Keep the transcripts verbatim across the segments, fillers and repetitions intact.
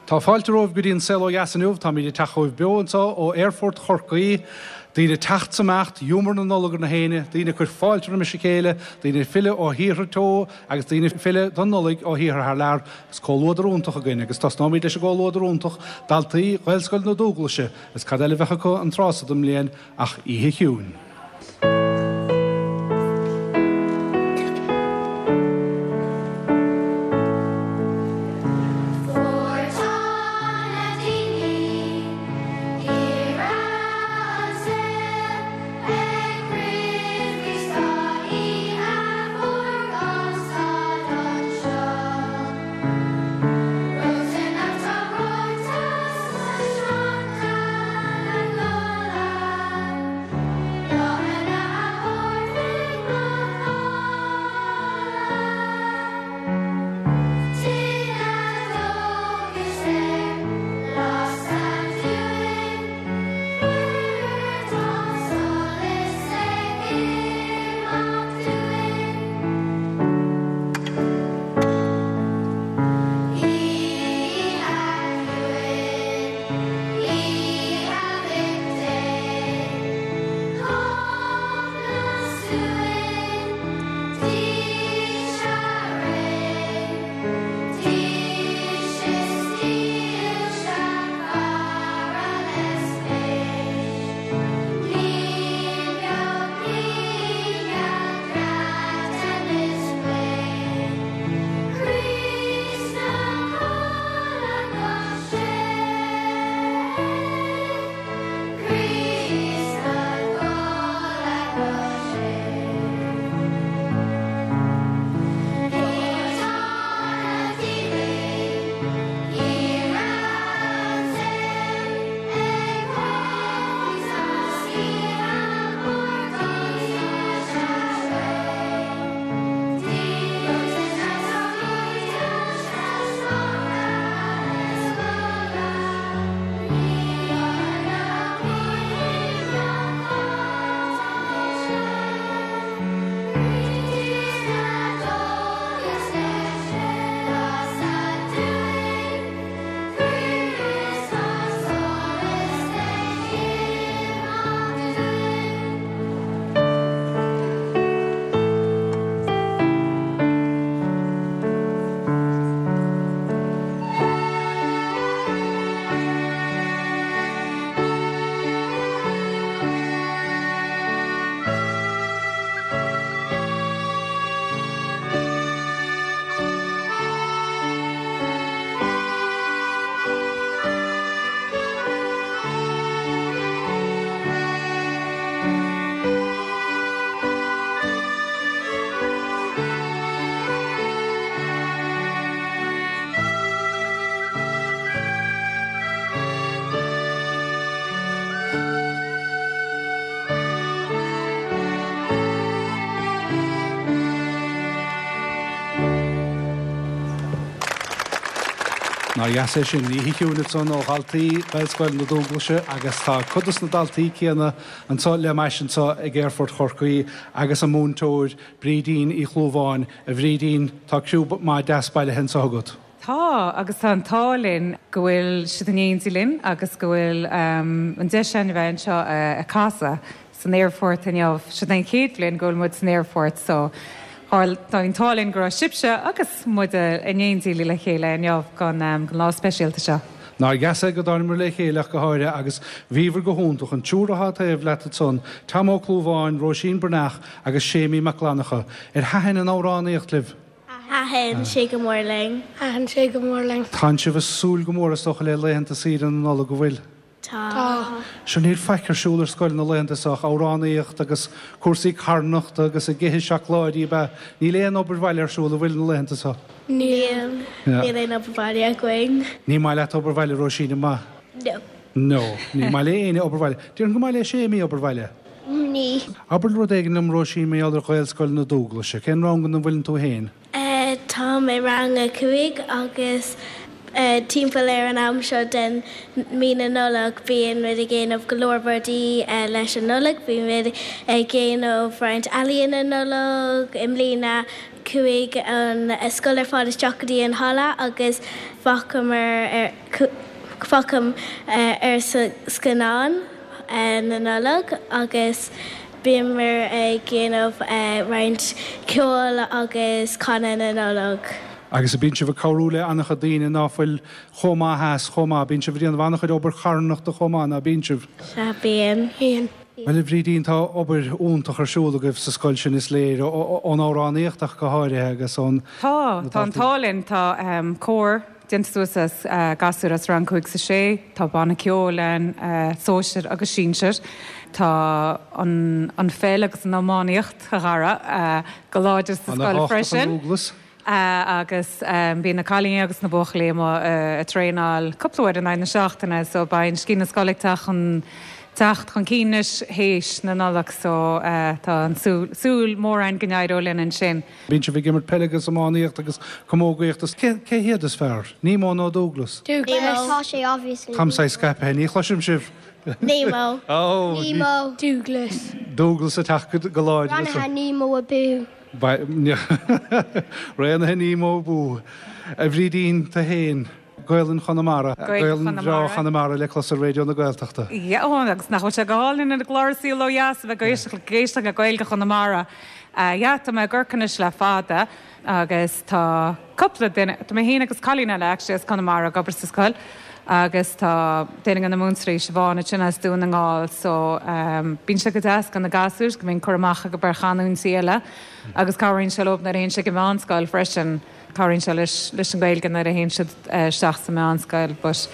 Tá fáilte romhaibh go dtí an Saol Ó Dheas inniu, táimid ag teacht chugaibh beo anseo ó Aerfort Chorcaí. Daoine ag teacht 's ag imeacht, giúmar na Nollag ar na héinne, daoine ag cur fáilte roimis a chéile, daoine ag filleadh ó thíortha teo agus daoine ag filleadh don Nollaig ó thíortha thar lear. Is comhluadar iontach againn agus tosnóimid leis an gcomhluadar iontach, daltaí Ghaelscoil na Dúglaise, agus cad eile a bheadh acu an tráth so den mbliain ach Oíche Chiúin. Nár dheas é sin, Oíche Chiúin ansan ó dhaltaí Ghaelscoil na Dúglaise agus tá cuid dos na daltaí céanna anseo le m'ais anseo ag Aerfort Chorcaí agus a múinteoir Brídín Uí Chlúmháin. A Bhrídín, tá criú maith deas bailithe anseo agat. Tá, agus tá an t-ádh linn go bhfuil siad in éindí linn agus go bhfuil an deis againn a bheith anseo ag casadh san aerfort inniu. Seo an chéad bhliain go bhfuil muid san aerfort so tá an t-ádh linn go raibh sibhse agus muid in éindí le chéile inniu don lá speisialta seo. Nár dheas é go dtánamar le chéile ach go háirithe agus bhíobhair go hiontach, an triúr atá taobh leat ansan, Tom Ó Clúmháin, Róisín Breathnach agus Séimí Mac Fhlannchadha. Ar thaitin an amhránaíocht libh? Thaitin sé go mór linn. Thaitin sé go mór linn. Tánn sibh ag súil go mór is dócha le laethanta saoire na Nollag, an bhfuil? Tá. Sure níl faic ar siúl ar scoil na laethanta seo ach amhránaíocht agus cúrsaí carthanachta agus ag ithe seacláidí ab ea? Níl aon obair bhaile ar siúl, an bhfuil na laethanta seo? Níl. Níl aon obair bhaile againn. Ní maith leat obair bhaile, Róisín, an maith? No. No. Ní maith le éinne obair bhaile. Déarfainn gur maith le Séimí obair bhaile. Ní. Abair rud éigin liom, Róisín, mar gheall ar Ghaelscoil na Dúglaise. Cén rang ina bhfuileann tú féin? Táim i rang a cúig agus Timpeall ar an am seo den mí na Nollag bíonn muid ag déanamh go leor rudaí leis an Nollaig, bíonn muid ag déanamh roinnt ealaíona Nollag i mbliana chuaigh an scoil ar fad isteach go dtí an halla agus féachamar féachamar ar scannán na Nollag agus bhíomar ag déanamh roinnt ceoil agus canadh na Nollag. Agus bíonn sibh ag cabhrú le an-chuid daoine ná fuil chomh maith as chomh maith, bíonn sibh ag déanamh an-chuid obair charthanachta chomh maith ná bíonn sibh. Sea, bíonn. Bíonn. Bhuel, a Bhrídín, tá obair iontach ar siúl agaibh sa scoil sin is léir, ón amhránaíocht ach go háirithe agus ón. Tá, tá an t-ádh linn, tá cór déanta suas as gasúir as rang cúig is a sé, tá banna ceoil ann, sóisir agus sinsir, tá an an pheil agus an iománaíocht, a Dhara, go láidir sa scoil freisin. Agus bíonn na cailíní agus na buachaillí amuigh ag traenáil cúpla uair in aghaidh na seachtaine so beidh an sciath na scoile ag teacht chun teacht chun cinn anois théis na Nollag so tá an súil mór againn go n-éireoidh linn ansin. Bíonn sibh ag imirt peile agus iománaíocht agus camógaíocht is cé cé hiad is fearr? Nemo nó Dúglas? Dúglas. Tá sé obviously. Táim saghas scaipthe, ní chloisim sibh. Nemo. Oh, Nemo. Dúglas. Dúglas ag teacht go láidir. Rannaithe Nemo abú. Rannaithe Nemo abú. A Bhrídín, tú féin, Gaelainn Chonamara. Gaelainn bhreá Chonamara le clos ar Raidió na Gaeltachta. Yeah, ó, agus nach bhfuil sé go hálainn ar an gclár An Saol Ó Dheas a bheith ag éisteacht le Gaeilge Chonamara. Yeah, tá mé i gCorcaigh anois le fada agus tá cúpla duine, tá mé féin agus cailín eile actually as Conamara ag obair sa scoil agus tá duine de na múinteoirí, Siobhán, ansin as Dún na nGall so bíonn sé go deas do na gasúir go mbíonn cur amach acu ar chanúintí eile agus cabhraíonn sé leo nuair a théann siad go meánscoil freisin, cabhraíonn sé leis leis an Ghaeilge nuair a théann siad isteach sa meánscoil but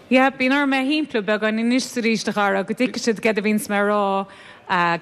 yeah bíonn orm é a shimpliú beagán anois is arís a Dhara go dtuigfidh siad céard a bhíonns mé a rá.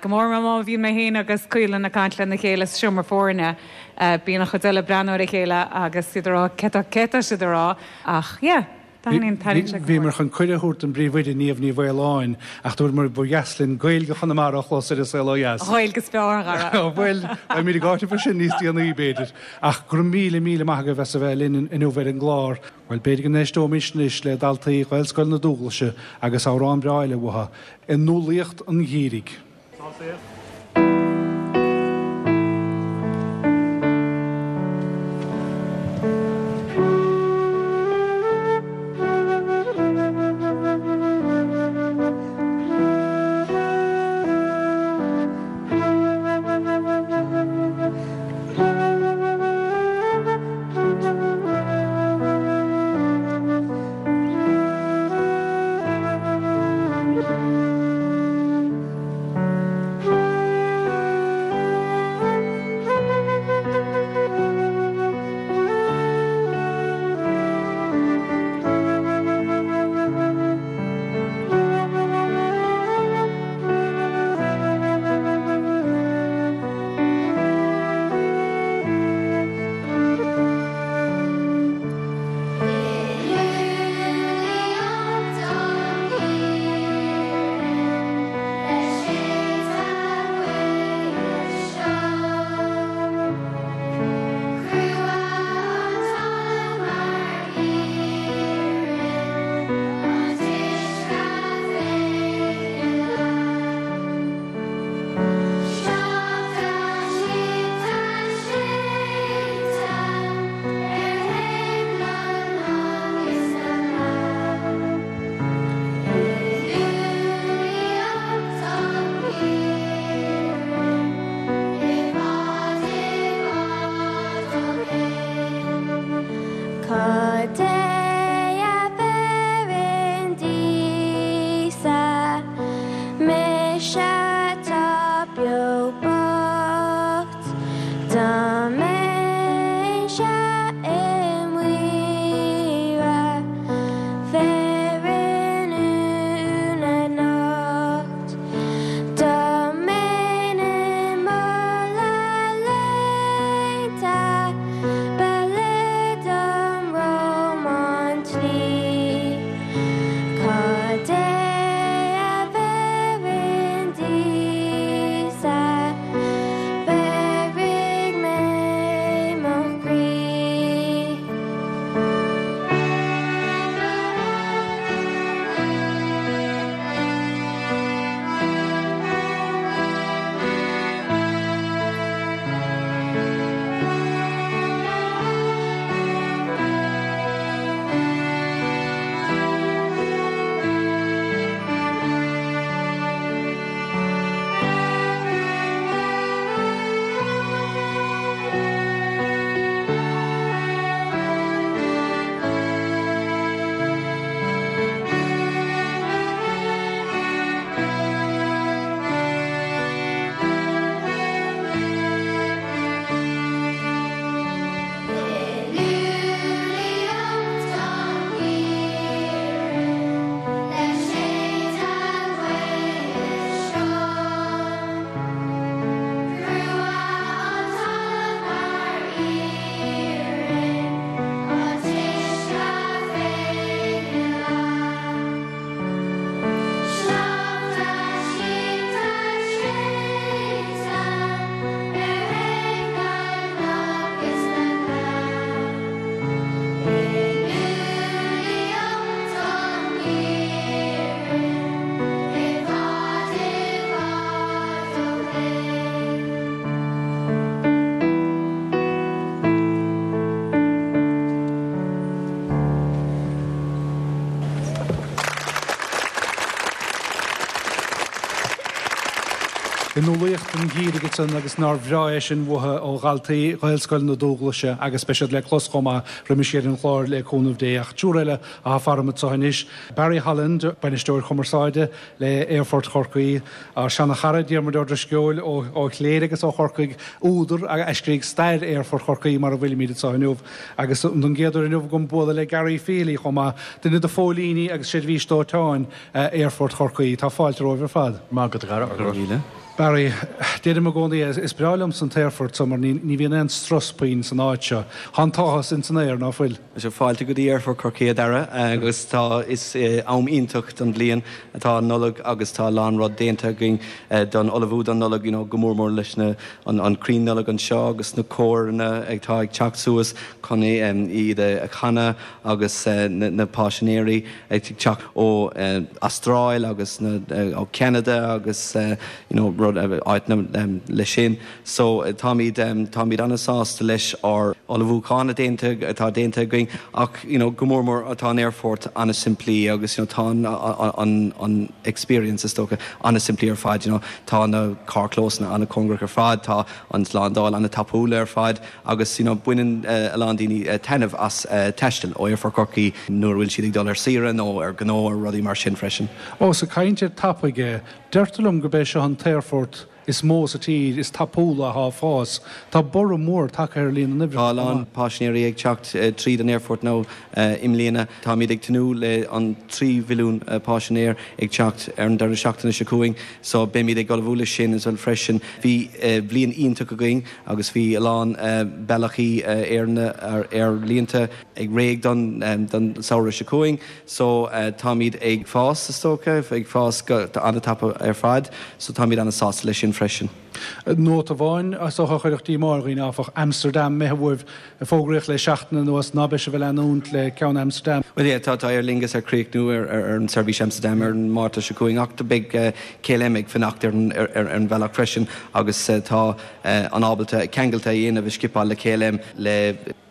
Go mór mór má bhíonn mé féin agus Caolan ag caint lena chéile sa seomra foirne, bíonn an chuid eile ag breathnú ar a chéile agus iad ag rá céard atá céard atá siad a rá ach yeah, taitníonn taitníonn sé go mór. Bhíomar chun cuireadh a thabhairt don bPríomhoide Niamh Ní Mhaoláin ach dúramar ba dheas linn Gaeilge Chonamara a chlos ar An Saol Ó Dheas. An Ghaeilge is fearr, a Dhara. Bhuel, beimid ag áiteamh air sin níos déanaí b'fhéidir. Ach go raibh míle míle maith agaibh as a bheith linn inniu ar an gclár. Bhuel, b'fhéidir go n-éisteoimis anois le daltaí Ghaelscoil na Dúghlaise agus amhrán breá eile uathu, I nUmhlaíocht an Gheimhridh. I nualaíocht an gheimhridh ansan agus nár bhreá é sin uathu ó dhaltaí Ghaelscoil na Dúghlaise agus beidh siad le clos chomh maith roimis ar an chlár le cúnamh Dé ach triúr eile atá faram anseo anois. Barry Holland, bainisteoir cumarsáide le Aerfort Chorcaí, ár seana-chara Diarmuid Ó Drisceoil ó Chléire agus ó Chorcaigh, údar a scrígh stair Aerfort Chorcaí mar a bhfuilimid anseo inniu agus don gcéad uair inniu agam bualadh le Gary Feely chomh maith, duine de phóilíní agus seirbhís dóiteáin Aerfort Chorcaí. Tá fáilte romhaibh ar fad. Maith agat a Dhara. Barry, deirim i gcónaí is breá liomsa an t-aerfort so mar ní bhíonn aon strus puinn san áit seo. Tá an t-áthas ins an aer ná fuil. Is fáilte go dtí Aerfort Chorcaí a Dhara agus tá is am iontach don bhliain atá an Nollaig agus tá a lán rud déanta againn don ullmhú don Nollaig you know, go mór mór leis na an, an crann Nollag anseo agus na córanna atá ag teacht suas chun iad a chanadh agus na, na paisinéirí ag teacht ó Astráil agus na, ó Canada agus you know, rud áit le sin. So táimid táimid an-sásta leis ár ullmhúchán déanta atá déanta againn ach you know, go mór mór atá an aerfort an-simplí agus you know, tá an, an, an experience is dócha an-simplí ar fad you know, tá na carrchlósanna an-chóngarach ar fad, tá an slándáil an-tapúil ar fad agus you know, baineann uh, a lán daoine uh, taitneamh as uh, taisteal ó Aerfort Chorcaí nuair bhfuil siad ag dul ar saoire nó ar gnó ar rudaí mar sin freisin. Ó sa caint ar tapaidh deirtear liom go b'é seo an t-aerfort is mó sa tír is tapúla atá ag fás. Tá borradh mór tagtha ar líon na Tá lán paisinéirí ag teacht tríd an aerfort nó i mbliana Táimid ag tnúth le an trí mhilliún paisinéir ag teacht ar an deireadh seachtaine seo chugainn, so beimid ag ullmhú leis sin as well freisin. Bhí bliain iontach againn agus bhí a lán bealaí ar aerlínte ag réidh don don samhradh seo chugainn, so táimid ag fás is dócha, ag fás go an-tapa ar fad, so táimid an-sásta leis sin freisin. Nóta amháin as a chuirfeadh díomá ar dhaoine áfach Amsterdam imithe uaibh fógraíodh le seachtain anuas ná beidh sibh ag leanúint le ceann Amsterdam. Well yeah, tá tá Aer Lingus ar críochnú ar, ar, ar an seirbhís Amsterdam ar an Márta seo chugainn ach beidh uh, KLM ag fanacht ar, ar, ar, ar an bhealach freisin agus uh, tá uh, an ábalta ceangailte a dhéanamh i Schiphol le KLM le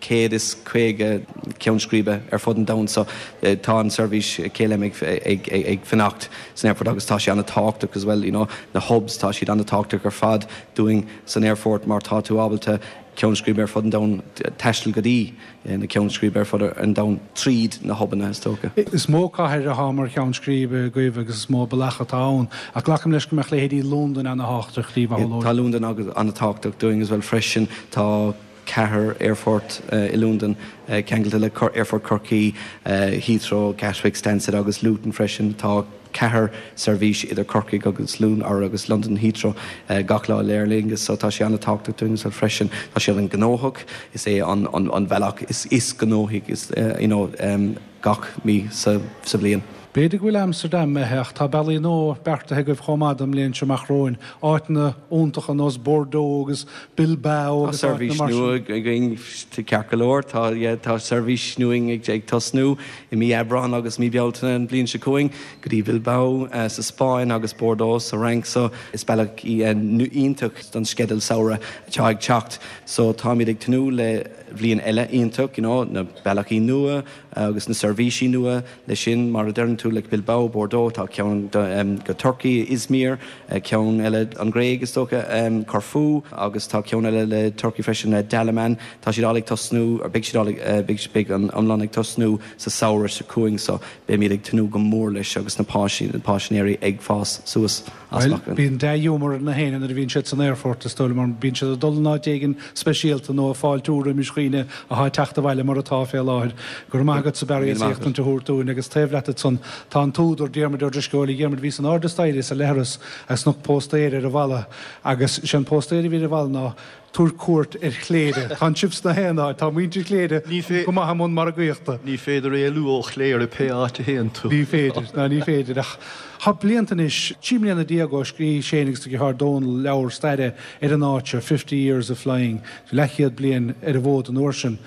céad is caoga ceann scríbe ar fud an domhain so uh, tá an seirbhís KLM ag, ag, ag, ag fanacht san aerfort agus tá sé an-tábhachtach as well you know, na hubs tá siad an-tábhachtach ar fad dúinn san aerfort mar tá tú ábalta ceann scríbe ar fud an domhain taisteal go dtí na ceann scríbe ar fud an domhain tríd na hubanna is dócha. Is mó cathair atá mar cheann scríbe agaibh agus is mó bealach atá ann ach glacaim leis go mbeadh leithéidí Londain an-tábhachtach daoibh Tá Londain agus an-tábhachtach dúinn as well freisin tá ceathair aerfort uh, i Londain uh, ceangailte le Aerfort Chorcaí, uh, Heathrow, Gatwick, Stansted agus Luton freisin tá ceathair seirbhís idir Corcaigh agus Lún ar agus London Heathrow uh, gach lá le Aer Lingus so tá sé an-tábhachtach dúinn so freisin tá sé an-ghnóthach is é an, an, an bhealach is is gnóthaí is uh, you know, um, gach mí sa, sa bhliain. B'fhéidir go bhfuil Amsterdam imithe tá bealaí nua beartaithe agaibh chomh maith don mbliain seo amach romhainn áiteanna iontacha nós Bordeaux agus Bilbao agus seirbhís nua againn ceart go leor tá tá seirbhís nua ag ag tosnú i mí Aibreán agus mí Bealtaine an bhliain seo chugainn go dtí Bilbao uh, sa Spáin agus Bordeaux sa Fhrainc so is bealach iontach don sceideal samhraidh atá ag teacht so táimid ag tnúth le bhliain eile iontach you know, na bealaí nua agus na seirbhísí nua le sin mar a deireann tú le Bilbao Bordeaux tá ceann um, go Turkey Izmir uh, ceann eile an Ghréig is dócha um, Corfu agus tá ceann eile le Turkey freisin uh, Dalaman tá siad ag tosnú ar beidh siad uh, beidh an iomlán ag tosnú sa samhradh seo chugainn so beimid ag tnúth go mór leis agus na paisinéirí ag fás suas Bíonn dea-ghiúmar na héinne nuair a bhíonn siad san aerfort is dóigh mar bíonn siad ag dul in áit éigin speisialta nó fáiltiú roimis dhaoine atá ag teacht abhaile mar atá fé láthair. Gur maith agat sa Barry as éachtaint a thabhairt dúinn agus taobh leat ansan tá an t-údar Diarmuid Ó Drisceoil Diarmuid bhí san airde staighre sa leithreas agus chonac póstaer ar an bhalla agus sin póstaer a bhí ar an bhalla ná tabhair cuairt ar Chléire. Tá sibh sna haon áit, tá muintir Chléire go maith i mbun margaíochta. Ní féidir éalú ó Chléire pé áit a théann tú. Ní féidir, ná ní féidir ach Tá blianta anois trí bliana déag ó scríobh Shane agus do dheartháir Dónal leabhar staire ar an áit seo fifty years of flying, leathchéad bliain ar an bhfód an uair sin.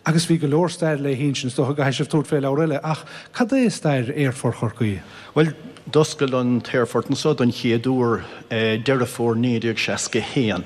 Agus bhí go leor stair le hinsint is dócha go gcaithfidh sibh tabhairt fé leabhar eile ach cad é stair Aerfort Chorcaí? Well, d'oscail an t-aerfort anseo don chéad uair Deireadh Fómhair naoi déag seasca haon.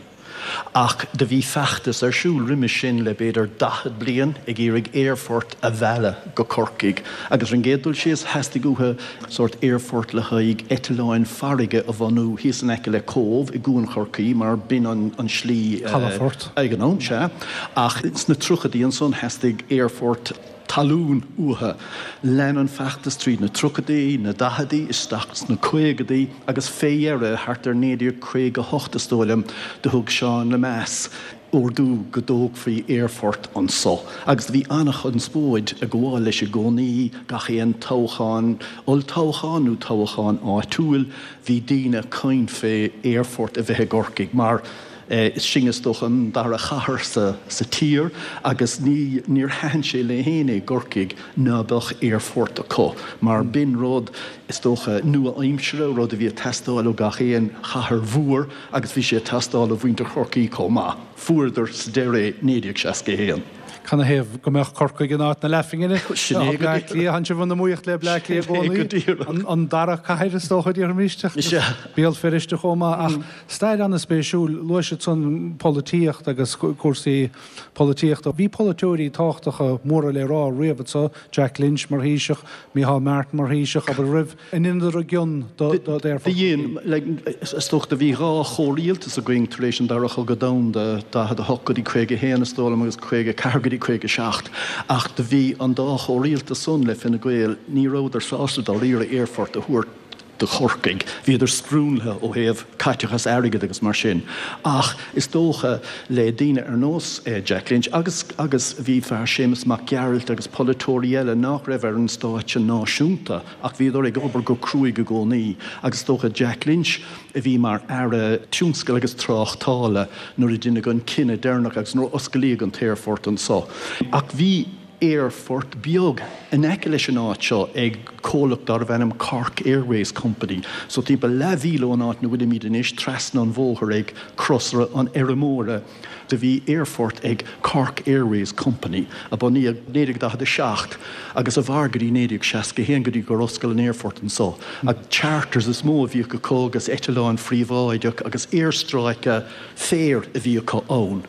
Ach do bhí feachtas ar siúl roimis sin le b'fhéidir daichead bliain ag iarraidh aerfort a mhealladh go Corcaigh. Agus ar an gcéad dul síos, theastaigh uathu sórt aerfort le haghaidh eitleáin farraige a bhunú thíos in aice le Cóbh i gCuan Chorcaí mar b'in an slí Calafort. ag an am, sea. Ach sna tríochaidí ansan theastaigh aerfort talún uathu. Lean an feachtas tríd na tríochaidí, na daicheadaí, isteach sna caogaidí agus fé dheireadh, thart ar naoi déag caoga a hocht is dóigh liom, do thug Seán Lemass ordú go dtógfaí aerfort anso. Agus do bhí an-chonspóid ag gabháil leis i gcónaí, gach aon toghchán, olltoghchán nó toghchán áitiúil, bhí daoine ag caint fé aerfort a bheith i gCorcaigh mar, Is sinne is dócha an dara chathair sa tír agus ní níor thaitin sé le héinne i gCorcaigh ná beadh aerfort acu mar b'in rud is dócha nua-aimsire, rud a bhí ag teastáil ó gach aon chathair mhór agus bhí sé ag teastáil ó mhuintir Chorcaí chomh maith. Fuaireadar sa deireadh é naoi déag seasca a haon. Canathaobh go mbeadh Corcaigh in áit na leathphingine? Sin é go Bleá Cliath, tánn sibh in iomaíocht le Bleá Cliath i Sin é go gcónaí. díreach. An, an dara cathair is dócha, déarfaimis, Sea. Béal Feirste chomh maith. Ach stair an-spéisiúil, luaigh siad san polaitíocht agus cúrsaí polaitíochta. Bhí polaiteoirí tábhachtacha móra le rá riamh anso, Jack Lynch mar Thaoiseach, Micheál Martin mar Thaoiseach, abair roimh. An ndeineadar a gcion do Do dhein, is dócha, do bhí dhá chomhrialtas againn tar éis an Dara Chogadh Domhanda, daichead a hocht go dtí caoga a haon is dóigh liom agus caoga a ceathair go dtí caoga a seacht, ach do bhí an dá chomhrialtas san le Fine Gael, ní rabhadar sásta dáiríre aerfort a thabhairt do Chorcaigh. Bhíodar scriúnlaithe ó thaobh caiteachas airgid agus mar sin. Ach is dócha le daoine ar nós Jack Lynch agus agus bhí fear Séamus Mac Gearailt agus polaiteoirí eile nach raibh ar an stáitse náisiúnta ach bhíodar ag obair go cruaidh i gcónaí agus is dócha Jack Lynch a bhí mar Aire Tionscail agus Tráchtála nuair a deineadh an cinneadh deireanach agus nuair a osclaíodh an t-aerfort anso. Ach bhí aerfort beag in aice leis an áit seo ag comhlacht darbh ainm Cork Airways Company. So timpeall leathmhíle ón áit 'na bhfuilimid anois, trasna an bhóthair ag Crosaire an Fheirmeora, do bhí aerfort ag Cork Airways Company, a bunaíodh naoi déag daichead a seacht agus a mhair go dtí naoi déag seasca a haon go dtí gur oscail an aerfort anso. Ach charters is mó a bhíodh acu agus eitleáin phríobháideach agus aerstráice féir a bhí acu ann.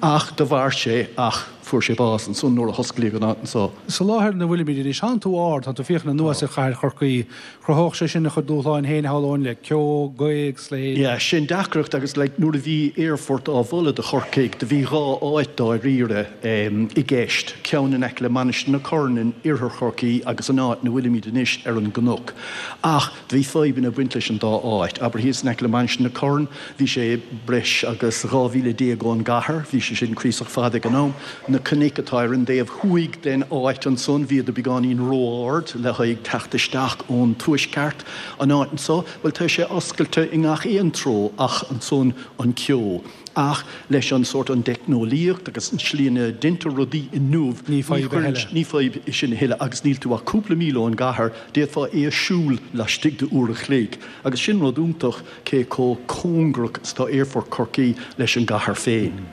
Ach do mhair sé ach fuair sé bás ansan nuair a hosclaíodh an áit anso. Sa láthair ina bhfuilimid anois, tánn tú ard, tánn tú ag féachaint anuas ar chathair Chorcaí. Chruthódh sé sin a chuid dúshláin féin, shamhlóinn, le ceo, gaoth agus a leithéid. Yeah, sin deacracht agus like nuair a bhí aerfort á mholadh do Chorcaigh, do bhí dhá áit dáiríre i gceist, ceann in aice le Mainistir na Corann in iarthar Chorcaí agus an áit 'na bhfuilimid anois ar an gcnoc. Ach do bhí fadhbanna ag baint leis an dá áit. Abair thíos in aice le Mainistir na Corann, bhí sé breis agus dhá mhíle déag ón gcathair, bhí sé sin cuíosach fada ag an am. Na cnoic atá ar an dtaobh thuaidh den áit ansan, bhíodar beagáinín ró-ard le haghaidh teacht isteach ón tuaisceart. An áit anso, bhuel tá sé oscailte i ngach aon treo ach ansan an ceo. Ach leis an sórt, an dteicneolaíocht agus an tslí ina ndeintear rudaí inniu, Ní fadhb a thuilleadh. ní fadhb é sin a thuilleadh agus níl tú ach cúpla míle ón gcathair, d'fhéadfá é a siúl laistigh de uair a chloig. Agus sin rud iontach cé chomh cóngarach is atá Aerfort Chorcaí leis an gcathair féin.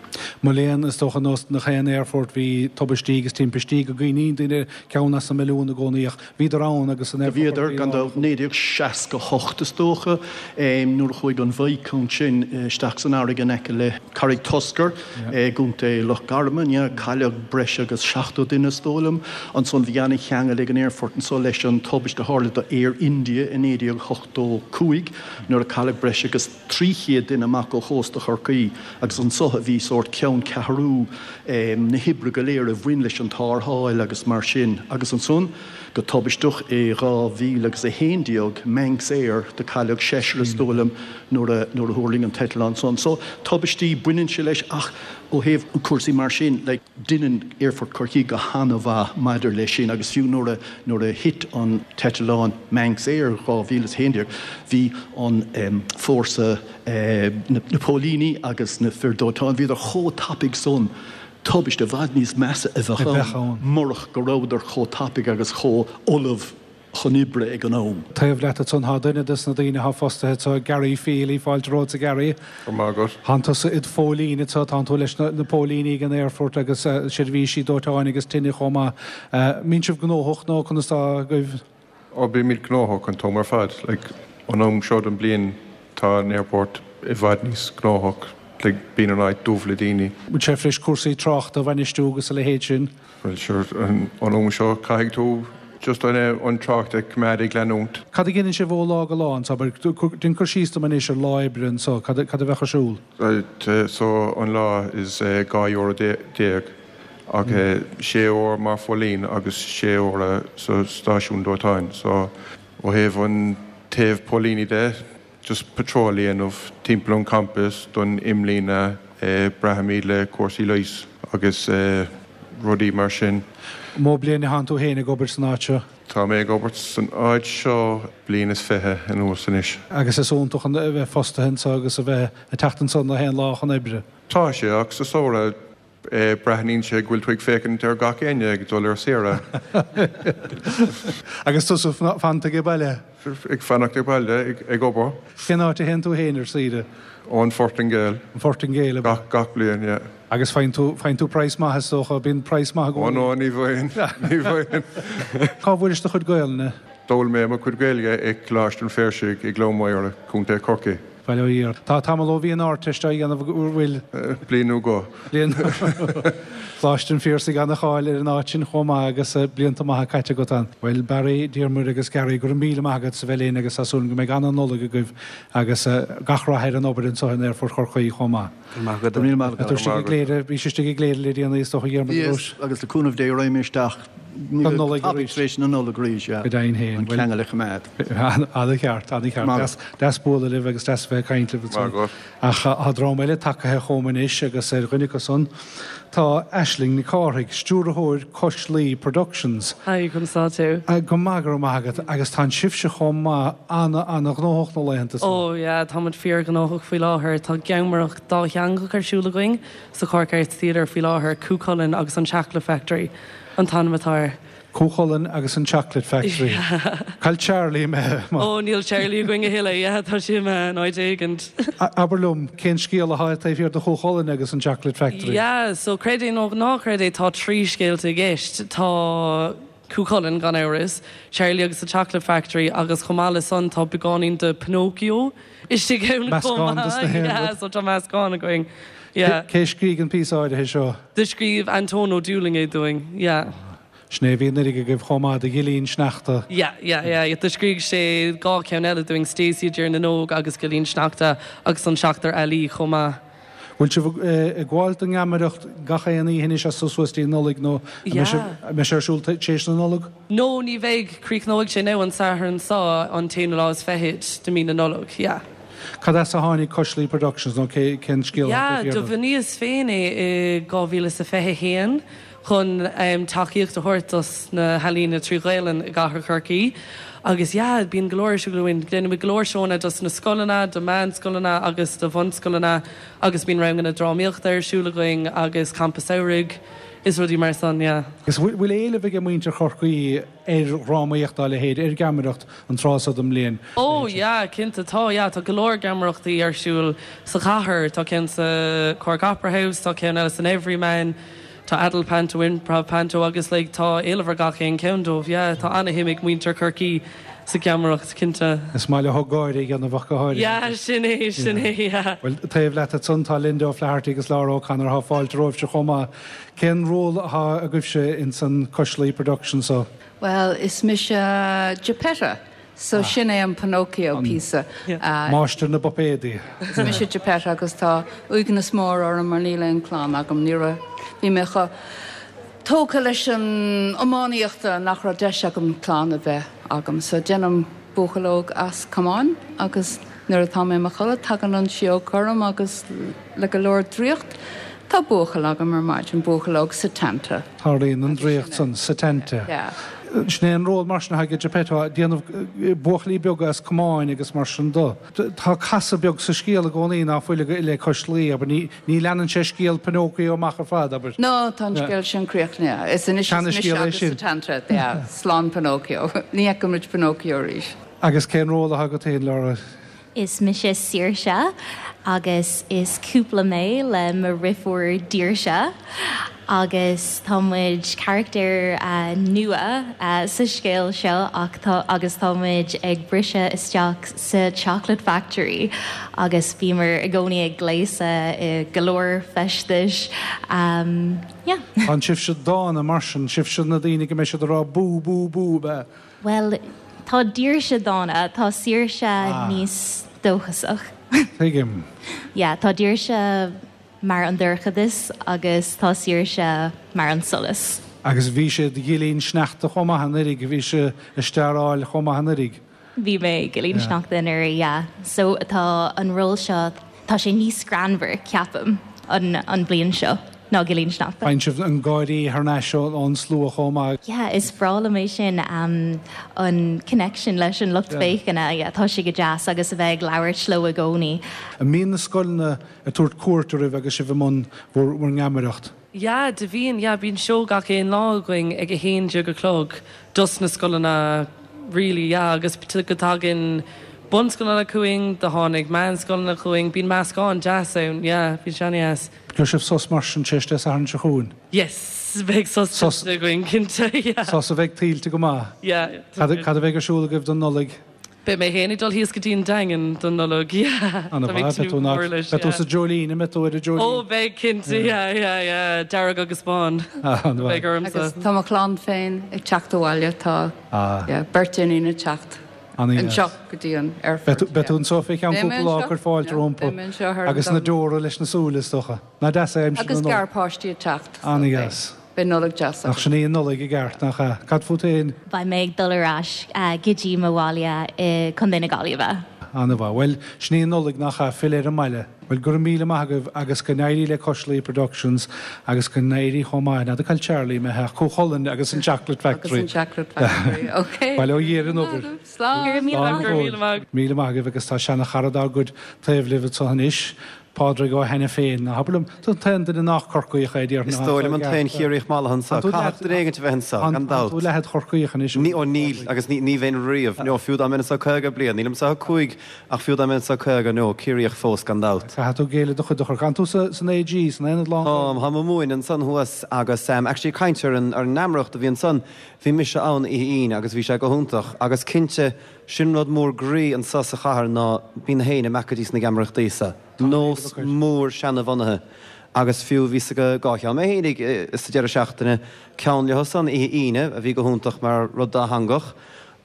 Mo léan, is dócha nós nach aon aerfort bhí tubaistí agus timpistí go gcuimhníonn duine ceann as an milliún i gcónaí ach bhíodar ann agus an Do aerfort bhíodar, Chorcaí gan lárnach. dabht, naoi déag seasca a hocht is dócha, nuair a chuaigh an Viscount sin isteach san fharraige in aice le Carraig Tuscar i gContae Loch Garman, yeah, cailleadh breis agus seachtó duine is dóigh liom. Ansan bhí ana-cheangal ag an aerfort anso leis an tubaiste a tharla do Air India i naoi déag ochtó cúig nuair a cailleadh breis agus trí chéad duine amach ó chósta Chorcaí agus anso a bhí sórt ceanncheathrú na hoibre go léir a bhain leis an tarrtháil agus mar sin. Agus ansan, go tubaisteach, i dhá mhíle agus a haon déag, Manx Air, do cailleadh seisear is dóigh liom nuair a nuair a thuirling an t-eitleán san. So, tubaistí, baineann sé leis ach ó thaobh cúrsaí mar sin, like, deineann Aerfort Chorcaí go han-mhaith maidir leis sin agus fiú nuair a nuair a thit an t-eitleán Manx Air dhá mhíle is a haon déag, bhí an fórsa, na póilíní agus na fir dóiteáin, bhíodar chomh tapaidh san, tubaiste i bhfad níos measa a bheadh ann murach go rabhadar chomh tapaidh agus chomh ullamh chun oibre ag an am. Taobh leat ansan tá duine des na daoine atá fostaithe anso, Gary Feely, fáilte romhat a Gary. Go raibh maith agat. Tánn tusa id phóilín anso, tánn tú leis na póilíní ag an aerfort agus seirbhísí dóiteáin agus tine chomh maith. Mbíonn sibh gnóthach nó conas tá agaibh? Ó bímid gnóthach an t-am ar fad. Like, an am seo den bliain tá an airport i bhfad níos gnóthach like bíonn an áit dubh le daoine. Bhfuil sé tar éis cúrsaí tráchta a bhainistiú agus a leithéid sin? Bhuel sure an am seo caithfidh tú just an an trácht a choimeád ag leanúint. Cad a dhéanann sibh ó lá go lá anseo? Déan cur síos dom anois ar lá oibre anseo, cad a bheadh ar siúl? So an lá is dhá euro déag ach sé uair mar phóilín agus sé uair sa stáisiún dóiteáin. So ó thaobh an taobh póilíní de, just patrol a dhéanamh timpeall an campus don imlíne, braithimid le cúrsaí leighis agus rudaí mar sin. Mó bliain atánn tú féin ag obair san áit seo? Tá mé ag obair san áit seo bliain is fiche anuas anois. Agus is iontach a bheith fostaithe anseo agus a bheith ag teacht anso na haon lá chun oibre? Tá sé, ach sa samhradh breathnaíonn sé go bhfuil tú ag féachaint ar gach éinne ag dul ar saoire. Agus tusa fanta ag baile? Ag fanacht ag baile, ag obair. Cén áit a théann tú féin ar saoire? Ó an Phortaingéil. An Phortaingéil, ab ea? Gach, gach bliain, yeah. Agus faigheann tú, faigheann tú praghas maith is dócha, bíonn praghas maith i gcónaí. Ó no, ní bhfaigheann, ní bhfaigheann. Cá bhfuairis do chuid Gaelainne? D'fhoghlaim mé mo chuid Gaeilge i Coláiste an Phiarsaigh i gCluain Mhaoire, Contae Chorcaí. Bail ó Dhia ort. Tá tamall ó bhí an Ardteist á dhéanamh an bhfuil? Bliain nó dhó. Bliain. Coláiste an Phiarsaigh ana-cháil ar an áit sin chomh maith agus blianta maithe caite agat ann. Bhuel, Barry, Diarmuid agus Gary, go raibh míle maith agat as a bheith linn agus tá súil agam go mbeidh ana-Nollaig agaibh agus gach rath ar an obair anseo in Aerfort Chorcaí chomh maith. Go raibh maith agat. Go raibh míle maith agat. Tá tú istigh i gCléire, bhís istigh i gCléire le déanaí is dócha, a Dhiarmuid, Bhíos, agus le cúnamh Dé raghaidh mé isteach Don Nollaig arís. Tar éis na Nollag arís, yeah. Go deimhin féin. An ceangal a choimeád. An-cheart, an-cheart. Deas bualadh libh agus deas a bheith ag caint libh ansan. Ach tá dream eile tagaithe chugam anois agus ar dhuine acu san tá Aisling Nic Cárthaigh, stiúrthóir Cois Laoi Productions. Hi, conas tá tú? Go maith, go raibh maith agat. Agus tá sibhse chomh maith ana-ana-ghnóthach na laethanta seo. Oh yeah, tá muid fíorghnóthach faoi láthair. Tá geamaireacht dátheangach ar siúl againn sa Cork Arts Theatre faoi láthair, Cú Chulainn agus an Chocolate Factory. an t-ainm atá air. Cú Chulainn agus an Chocolate Factory. Cá bhfuil Charlie imithe? Ó, níl Charlie againn a thuilleadh, yeah, tá sé imithe in áit éigint. Abair liom, cén scéal atá taobh thiar de Chú Chulainn agus an Chocolate Factory? Yeah, so creid é nó ná creid é, tá trí scéalta i gceist. Tá Cú Chulainn, gan amhras, Charlie agus the Chocolate Factory agus chomh maith le san tá beagáinín de Pinocchio istigh ann chomh Meascán dos na maith. haon Yeah, rud. so tá meascán againn. Yeah. Cé a scrígh an píosa áirithe seo? Do scríobh Antóin Ó Dúlaing é dúinn. Yeah. Sin é a bhí anuraidh agaibh chomh maith do Ghillín Sneachta. Yeah, yeah, yeah. Do scrígh sé dhá cheann eile dúinn, Stacey i dTír na nÓg agus Gillín Sneachta agus an Seachtar Ealaí chomh maith. Bhfuil sibh ag gabháil don ngeamaireacht gach aon oíche anois as so suas dtí an Nollaig nó an mbeidh sé ar siúl tar éis na Nollag? No, ní bheidh. Críochnóidh sé now an Satharn seo, an t-aonú lá is fichead de mí na Nollag. Yeah. Cad as a tháinig Cois Laoi Productions nó cén scéal atá Yeah, taobh do thiar de? bhunaíos féin é i dhá mhíle is a fiche a haon chun tacaíocht a thabhairt dos na healaíona trí Ghaelainn i gcathair Chorcaí agus yeah, bíonn go leor ar siúl againn. Déanaimid go leor seónna dos na scoileanna, do mheánscoileanna agus do bhunscoileanna agus bíonn ranganna drámaíochta ar siúl againn agus campa samhraidh is rudaí mar san, yeah. Agus bhfuil éileamh ag muintir Chorcaí ar dhrámaíocht dá leithéid, ar gheamaireacht an tráth seo den mbliain? Ó yeah, cinnte tá, yeah, tá go leor geamaireachtaí ar siúl sa chathair, tá ceann sa Cork Opera House, tá ceann eile san Everyman, tá Adult Panto, Improv Panto agus like tá éileamh ar gach aon ceann dóibh, yeah, tá ana-shuim ag muintir Chorcaí sa gheamaireacht, cinnte. Is maith leo gáire a dhéanamh ach go háirithe. Yeah, sin é, sin é, yeah. Bhuel, taobh leat ansan tá Linda O'Flaherty agus Laura O'Connor, tá fáilte romhaibhse chomh maith. Cén ról atá agaibhse ins an Cois Laoi production so? Bhuel, is mise Geppetta, so sin é an Pinocchio píosa. Máistir na bpuipéadaí. Is mise Geppetta agus tá uaigneas mór orm mar níl aon clann agam, ní raibh, bhí mé chomh tógtha leis an iománaíocht nach raibh deis agam clann a bheith agam. So déanaim buachaill óg as camáin agus nuair atá mé i mo chodladh tagann an síóg orm agus le go leor draíocht tá buachaill agam ar maidin, buachaill óg Setanta. Tarlaíonn an draíocht san, Setanta. Yeah. Sin é an ról mar sin atá ag Geppetto, déanamh buachaillí beaga as camáin agus mar sin de. Tá casadh beag sa scéal i gcónaí ná fuil le Cois Laoi, abair, ní, ní leanann sé scéal Pinocchio amach ar fad, abair. No, tá an scéal sin críochnaithe. Is anois is mise Seana-scéal é agus sin. Setanta, yeah, slán Pinocchio. Ní fheicfimid Pinocchio arís. Agus cén ról atá agat féin, Laura? Is mise Saoirse agus is cúpla mé le mo dheirfiúr Daoirse agus tá muid charachtar uh, nua uh, sa scéal seo ach tá, agus tá muid ag briseadh isteach sa Chocolate Factory agus bímid i gcónaí ag gléasadh i go leor feistis. Um, yeah. An sibhse dána mar sin sibhse na daoine go mbeidh siad ag rá bú bú bú be. Well, tá Daoirse dána, tá Saoirse ah. níos dóchasach. Tuigim. Yeah, tá Daoirse mar an dorchadas agus tá Saoirse mar an solas. Agus bhí sé Ghillín Sneachta chomh maith anuraidh, bhí sé ag staráil chomh maith anuraidh. Bhí mé Gillín Sneachta anuraidh, yeah. So tá an ról seo tá sé níos greannmhar ceapaim an, an bliain seo ná Gillín Sneachta. Faigheann sibh an gáirí thar n-ais ón slua chomh maith. Yeah, is breá liom é sin um, an connection leis an lucht féachana, yeah, tá sé go deas agus a bheith ag labhairt leo i gcónaí. An mbíonn na scoileanna ag tabhairt cuairt oraibh agus sibh i mbun bhur ngeamaireacht. Yeah, do bhíonn yeah, bíonn seó gach aon lá againn ag a haon déag a chlog dos na scoileanna really yeah, agus go tagann bunscoileanna chugainn, do tháinig meánscoileanna chugainn, bíonn meascán deas ann, yeah, bíonn sé an-deas. Gheobhaidh sibh sos mar sin tar éis Dé Sathairn seo chugainn? Yes, beidh sos sos againn cinnte, yeah. Sos a bheidh tuillte go maith. Yeah. Cad cad a bheidh ar siúl agaibh don Nollaig? Beidh mé féin ag dul thíos go dtí an Daingean don Nollaig, yeah. Ana mhaith, beidh tú nach, beidh tú sa Jolene, an mbeidh tú ar an Jolene? Ó, beidh cinnte, yeah, yeah, yeah, dearg agus bán. Ah, ana mhaith. Beidh ormsa. Agus tá mo chlann féin ag teacht abhaile, tá, yeah, beirt iníon ag teacht. Anseo go dtí an aerfort. Beidh tú anseo fé cheann cúpla lá ag cur fáilte rompu agus na deora leis na súile is dócha. Nach deas é aimsir na Agus garpháistí ag teacht. An-deas. Beidh Nollaig deas Nach sin í an Nollaig i gceart, nach ea? Cad fút féin? Beidh mé ag dul ar ais go dtí mo bhaile i Contae na Gaillimhe. An-mhaith. Bhuel, sin í an Nollaig, nach ea? Filleadh ar an mbaile. Bhuel, go raibh míle maith agaibh agus go n-éirí le Cois Laoi Productions agus go n-éirí chomh maith, n'fheadar cá bhfuil Charlie imithe ach Cú Chulainn agus an Chocolate Factory. Agus an Chocolate Factory, ok. Bail ó Dhia ar an obair. Slán. Go raibh míle maith. Go raibh míle maith. Míle maith agaibh agus tá seana-chara dár gcuid taobh libh anseo anois, Pádraig Ó hAiniféin. Ná habair liom, tú an t-aon duine nach Corcaíoch é, déarfainn. Is dóigh liom an t-aon Chiarraíoch mallaithe anseo. Caithfidh duine éigin a bheith anseo, gan dabht. Tá tú leathad Chorcaíoch anois. Ní, ó níl, agus ní, ní bheinn riamh. No, fiú dá mbeinn anseo caoga bliain. Nílim anseo ach cúig, ach fiú dá mbeinn anseo caoga, no, Ciarraíoch fós, gan dabht. Caithfidh tú géilleadh do chuid de Chorcaigh. An tú sa, san AG, san Aonad Lán? Táim, táim ag múineadh ansan thuas agus, actually ag caint ar an, ar an ngeamaireacht a bhí ansan, bhí mise ann oíche Aoine agus bhí sé go hiontach agus cinnte, sin rud mór groí anseo sa chathair ná bíonn na héinne ag imeacht go dtí sna geamaireachtaí sa. Nós mór seanabhunaithe agus fiú bhíos ag dhá cheann mé fhéinig sa deireadh seachtaine, ceann leo san oíche Aoine a bhí go hiontach mar rud dátheangach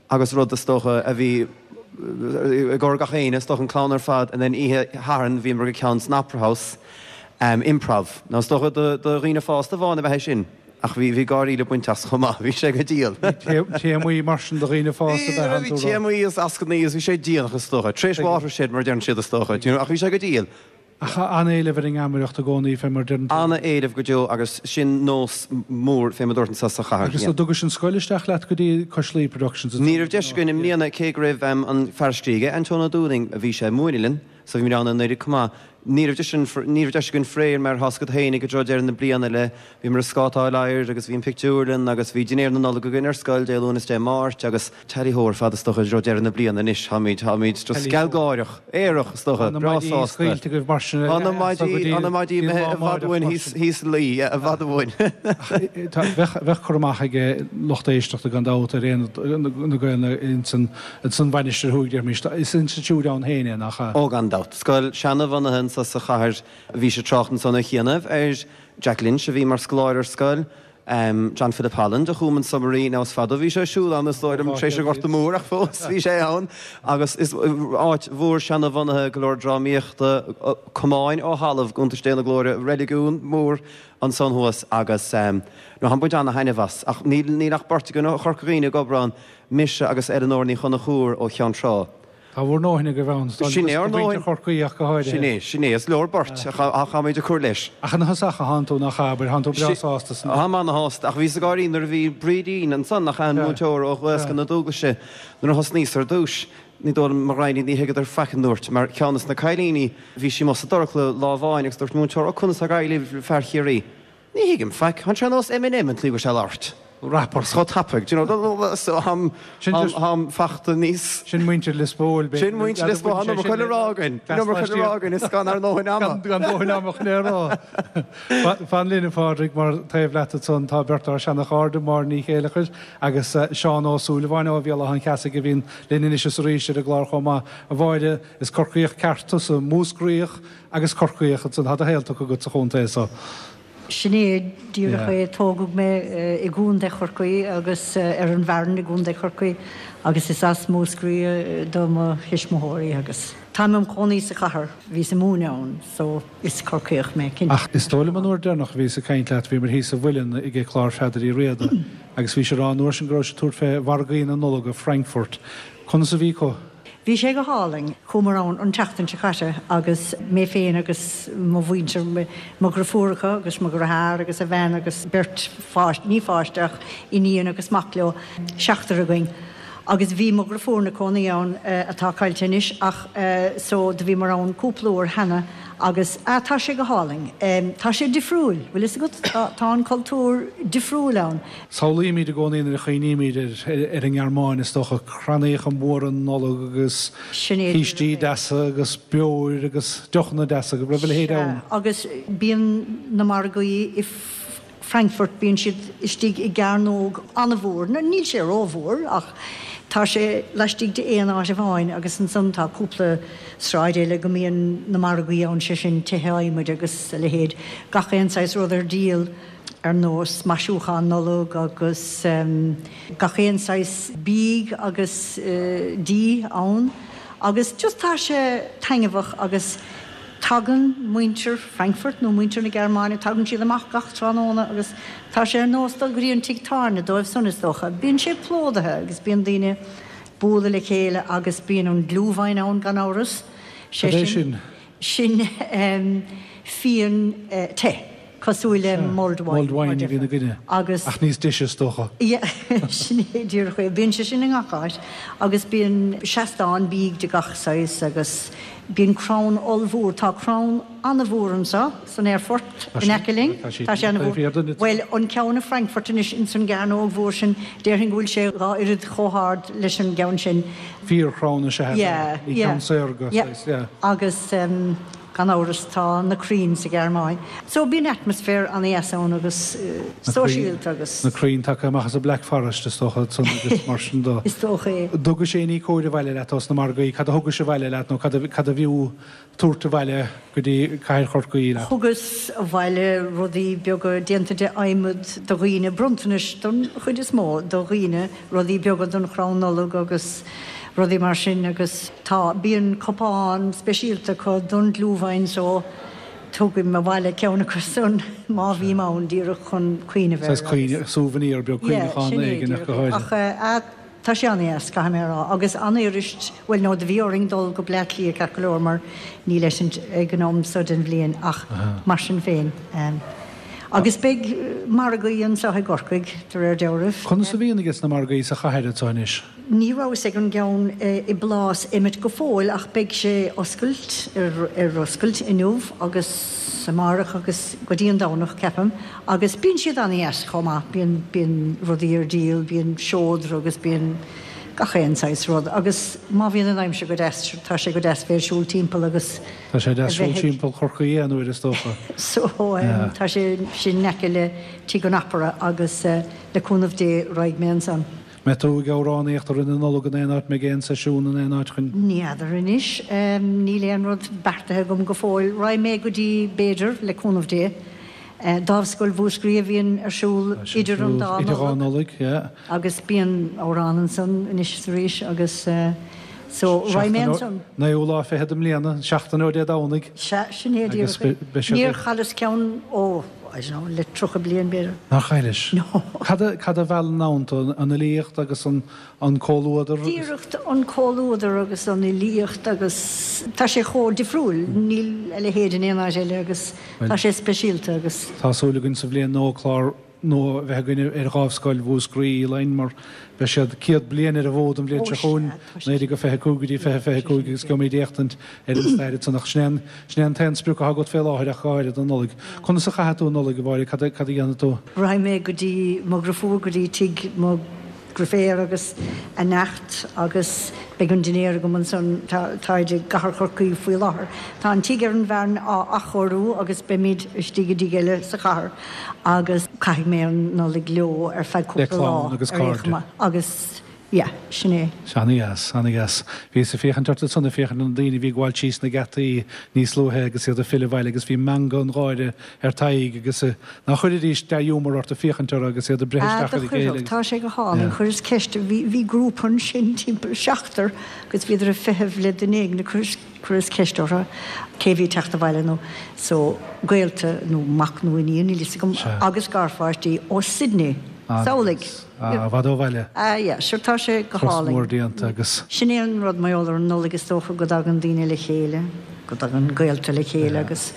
agus rud is dócha a bhí i gcomhair gach éinne, is dócha an clann ar fad and then oíche Shathairn bhíomar ag ceann san Opera House, improv. Now is dócha do dhaoine fásta amháin ab ea é sin. Ach bhí, bhí gáirí le baint as chomh maith, bhí sé go diail. Téamaí mar sin do dhaoine fásta ab ea an Bhí téamaí is ascannaí is bhí sé déanach is dócha, tar éis watershed mar a deireann siad is dócha, do you know, ach bhí sé go diail. Ach an-éileamh ar an ngeamaireacht i gcónaí fé mar a deireann tú. An-éileamh go deo agus sin nós mór fé mar a dúirt anseo sa chathair. Agus an dtugais an scoil isteach leat go dtí Cois Laoi Productions? Ní raibh deis againn i mbliana cé go raibh an fear a scrígh é, Antóin Ó Dúlaing, a bhí sé ag múineadh linn. So bhí muid ann anuraidh chomh maith. Ní raibh deis ní raibh deis againn faraor mar tá's agat fhéinig i dtreo deireadh na bliana le bhíomar ag scátáil oighir agus bhí an pictiúrlann agus bhí dinnéar na Nollag againn ar scoil Dé Luain is Dé Máirt agus tally ho ar fad is dócha i dtreo deireadh na bliana anois táimid táimid just gealgháireach, aerach is dócha, Tá na breá maidí sásta. scaoilte agaibh mar sin Tá na maidí tá na maidí imithe i bhfad uainn thíos thíos luí yeah i bhfad uainn. Tá bheadh bheadh cur amach ag lucht éisteachta gan dabht ar Aonad na Gaelainne ins an ins an Mhainistir Thuaidh déarfaimis. Is institiúid ann féin é nach ea? Ó gan dabht. Scoil seanabhunaithe anso sa chathair. Bhís ag trácht ansan ar chianaibh ar Jack Lynch a bhí mar scoláire ar scoil, John Philip Holland a chum an Submarine, now is fada ó bhí sé ar siúl ann is dóigh liom tar éis an Ghorta Mhóir ach fós bhí sé ann agus is áit mhór seanabhunaithe, go leor drámaíochta, camáin ó thalamh, go iontais Dé na glóire, reiligiún mór ansan thuas agus no táim ag baint ana-thaitneamh as ach níl níl ach beirt againn ó Chorca Dhuibhne ag obair ann, mise agus Eileanóir Ní Chonchúir ó Cheann Trá. Tá bhur ndóthain agaibh ann, is Sin é ár do mhuintir ndóthain. Chorcaí ach go háirithe. Sin é, sin é. Is leor beirt, ach táimid ag cur leis. Ach ina thosach a thánn tú, nach ea, abair, thánn tú breá sásta san. Táim ana-shásta, ach bhíos ag gáirí nuair a bhí Brídín ansan, nach ea, an múinteoir ó Ghaelscoil na Dúglaise, nuair a thosnaíos ar dtúis, ní dóigh liom, mo ghraidhin, ní thuigeadar faic a ndúirt, mar ceann des na cailíní, bhí sí amuigh sa dorchla lá amháin agus dúirt an múinteoir, Ó, conas tá ag éirí libh, fear Chiarraí? Ní thuigim faic, thánn sé ar nós Eminem an tslí go bhfuil sé ag labhairt. Rapport. Chomh tapaidh, do you know, so táim táim fachta níos. Sin muintir Lios Póil, b'fhéidir. Sin muintir Lios Póil, tá an iomarca le rá againn, an iomarca le rá againn, is gan ár ndóthain ama. Gan dóthain ama chun é a rá. Fan linn, a Phádraig, mar taobh leat ansan tá beirt dár seana-chairde, Máire Ní Chéileachair agus Seán Ó Súilleabháin ó Bhéal Átha an Cheasaigh a bhíonn linn anois is arís ar an gclár chomh maith. A Mháire, is Corcaíoch ceart tusa, Múscraíoch agus Corcaíoch ansan, tá do shaol tugtha agat sa chontae so. Sin é díreach é. Tógadh mé i gContae Chorcaí agus ar an bhFearann i gContae Chorcaí agus is as Múscraí do mo thuismitheoirí agus táim im chónaí sa chathair, bhíos ag múineadh ann so is Corcaíoch mé, cinnte. Ach is dóigh liom an uair deireanach a bhíos ag caint leat bhíomar thíos sa Mhuileann ag clár Pheadair Uí Riada agus bhís ag rá an uair sin go raibh sibh ag tabhairt fé mhargaí na Nollag i Frankfurt. Conas a bhí acu? Bhí sé go hálainn. Chuamar ann an tseachtain seo caite agus mé féin agus mo mhuintir, mo dhriofúracha agus mo dheartháir agus a bhean agus beirt pháiste, ní pháiste ach iníon agus mac leo, seachtar againn. Agus bhí mo dhriofúr ina cónaí ann atá caillte anois ach so do bhíomar ann cúpla uair cheana agus ah tá sé go hálainn. Tá sé difriúil, bhfuil fhios agat, tá an cultúr difriúil ann. Samhlaímid i gcónaí nuair a chuimhnímid ar an nGearmáin, is dócha, crannaíocha móra Nollag agus cístí deasa agus beoir agus deochanna deasa, go raibh a leithéid ann. Sea, agus bíonn na margaí i Frankfurt, bíonn siad istigh i gcearnóg an-mhór, níl sé rómhór ach tá sé laistigh de aon áit amháin agus ansan tá cúpla sráid eile go mbíonn na margaí ann, sé sin tithe adhmaid agus a leithéid, gach aon saghas rud ar díol. ar nós maisiúchán Nollag agus gach aon saghas bídh agus dí ann agus just tá sé taitneamhach agus tagann muintir Frankfurt nó muintir na Gearmáine, tagann siad amach gach tráthnóna agus tá sé ar nós dul go dtí an tigh tábhairne dóibh san is dócha. Bíonn sé plódaithe agus bíonn daoine bualadh le chéile agus bíonn an Glühwein ann gan amhras, sé sin, sin fíon te. Cosúil le mulled wine. Mulled wine a bhíonn againne. Agus. Ach níos deise is dócha. Yeah, sin é díreach é. Bíonn sé sin i ngach áit. Agus bíonn seastáin bídh de gach saghas agus bíonn crann ollmhór. Tá crann an-mhór anseo san aerfort in aice linn. Tá sé an-mhór. Bhuel, an ceann i Frankfurt anois ins an gcearnóg mhór sin, déarfainn go bhfuil sé dhá oiread chomh hard leis an gceann sin. Fíorchrann is ea é. Ní ceann saorga, saghas, yeah. Agus. Gan amhras tá na crainn sa Ghearmáin. So bíonn atmaisféar an-dheas ann agus sóisialta agus. Na crainn tagtha amach as an Black Forest is dócha ansan agus mar sin de. Is dócha é. Thugais aon ní cóir abhaile leat ós na margaí, cad a thugais abhaile leat nó cad a cad a bhfiú tabhairt abhaile go dtí cathair Chorcaí leat? Thugas abhaile rudaí beaga déanta de adhmad do dhaoine, bronntanais don chuid is mó do dhaoine, rudaí beaga don chrann Nollag agus. rudaí mar sin agus tá, bíonn cupán speisialta acu don Glühwein so tugaim abhaile ceann acu san má bhím ann díreach chun cuimhneamh air Saghas cuimhne, souvenir beag, Yeah, cuimhneachán sin é éigin ach go díreach. háirithe. Ach eh, tá sé an-dheas, caithfidh mé a rá. Agus an-fhuirist, bhuel no, do bhí orainn dul go Bleá Cliath ceart go leor mar níl eitilt ag an am so den bhliain ach mar sin féin. Agus beidh margaí anseo i gCorcaigh, de réir dealraimh. Conas a bhíonn aige sna margaí sa chathair anseo anois? Ní rabhas ag an gceann i bPlás Emmet go fóill ach beidh sé oscailt, ar oscailt inniu agus amárach agus go dtí an Domhnach, ceapaim. Agus bíonn siad an-dheas chomh maith, bíonn, bíonn rudaí ar díol, bíonn seodra agus bíonn gach aon saghas rud. Agus má bhíonn an aimsir go deas, tá sé go deas bheith ag siúl timpeall agus Tá sé deas a siúl bheith ag. timpeall Chorcaí aon uair is dócha. So tá sé sin in aice le Tigh an Opera agus le cúnamh Dé raghaidh mé ansan. Mbeidh tú ag amhránaíocht i rith na Nollag in aon áit, mbeidh aon seisiún in aon áit chun. Ní fheadar anois. Níl aon rud beartaithe agam go fóill. Raghaidh mé go dtí, b'fhéidir, le cúnamh Dé. Dámhscoil Mhúscraí a bhíonn ar siúl idir an dá Idir dhá Nollaig. Nollaig, yeah. Agus bíonn amhrán ansan anois is arís agus so raghaidh mé ansan. Naoú lá fichead i mbliana, seachtain ó Dé Domhnaigh. Sea, sin é Agus díreach é. beidh siad Níor ag. chailleas ceann ó, I don't know, le tríocha bliain b'fhéidir. Nár chaillis? No. Cad a, cad a mheallann ann tú, an fhilíocht agus an, an comhluadar? Díreach an comhluadar agus an fhilíocht agus tá sé chomh difriúil, níl a leithéid in aon áit eile agus Bhuel, tá sé speisialta agus. Tá súil againn sa bhliain nua clár nua a bheith againn ar Dhámhscoil Mhúscraí, Elaine, mar beidh siad céad bliain ar an bhfód an bhliain seo chugainn, naoi déag a fiche cúig go dtí fiche fiche cúig agus gheobhaimid éachtaint ar an stair ansan ach sin é an sin é an t-aon sprioc atá agat fé láthair ach go háirithe don Nollaig. Conas a chaithfidh tú an Nollaig, a Mháire? Cad a cad a dhéanfaidh tú? Raghaidh mé go dtí mo dhriofúr, go dtí tigh mo dhriféar agus a neacht agus beidh an dinnéar agam ansan. Táid i gcathair Chorcaí faoi láthair. Tá an tigh ar an bhFearann á athchóiriú agus beimid istigh i dtigh eile sa chathair agus caithfidh mé an Nollaig leo ar feadh Le cúpla lá clann agus ar aon cairde. chuma agus yeah, sin é. Ana-dheas, ana-dheas. Bhíos ag féachaint ort ansan, ag féachaint ar na daoine a bhí ag gabháil síos na geataí níos luaithe agus iad ag filleadh abhaile agus bhí meangadh an gháire ar t'aghaidh agus ná chuirfidís dea-ghiúmar ort ag féachaint orthu agus iad ag breith Ah, isteach do ar a chéile chuirfeadh, agus. tá sé go hálainn. Yeah. Chuireas ceist, bhí, bhí grúpa ansin timpeall seachtar agus bhíodar ag feitheamh le duine éigin, chuireas, chuireas ceist orthu cé bhí ag teacht abhaile nó so gaolta nó mac nó iníon, níl fhios agam, Sea. agus garpháistí ó Sydney. Samhlaigh. Ah, i bhfad ó bhaile. Ah yeah, sure tá sé go Turas mór hálainn. déanta agus. Sin é an rud mar gheall ar an Nollaig is dócha go dtagann daoine le chéile, go dtagann gaolta le chéile agus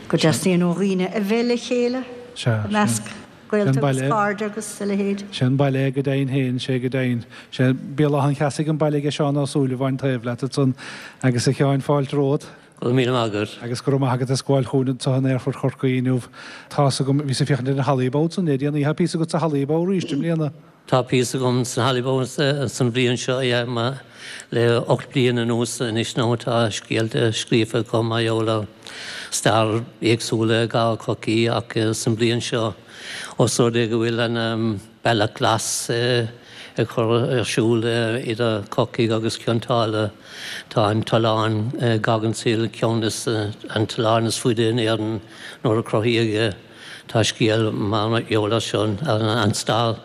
go dteastaíonn ó dhaoine a bheith le chéile Sea, i measc sin. gaolta Sin agus baile. cairde agus a leithéid. Sé an baile é go deimhin féin, sé go deimhin. Sé Béal Átha an Cheasaigh an baile aige Seán Ó Súilleabháin taobh leat ansan agus a Sheáin fáilte romhat. Go raibh míle maith agat. Agus go raibh maith agat as gabháil chugainn anseo in Aerfort Chorcaí inniu. Tá's agam, bhíos ag féachaint ar an Hollybough ansan le déanaí. Tá píosa agat sa Hollybough arís i mbliana. Tá píosa agam san Hollybough san bhliain seo, yeah, ma, le ocht bliain anuas anois nó tá scéalta scríofa agam mar gheall ar stair éagsúla i gcathair Chorcaí ach san bhliain seo os rud é go bhfuil an Bealach Glas ag cur ar siúl idir Corcaigh agus Cionn tSáile. Tá an tollán Goggins Hill ceann is an tollán is faide in Éirinn nuair a cruthaíodh é. Tá scéal mar gheall air seo an stair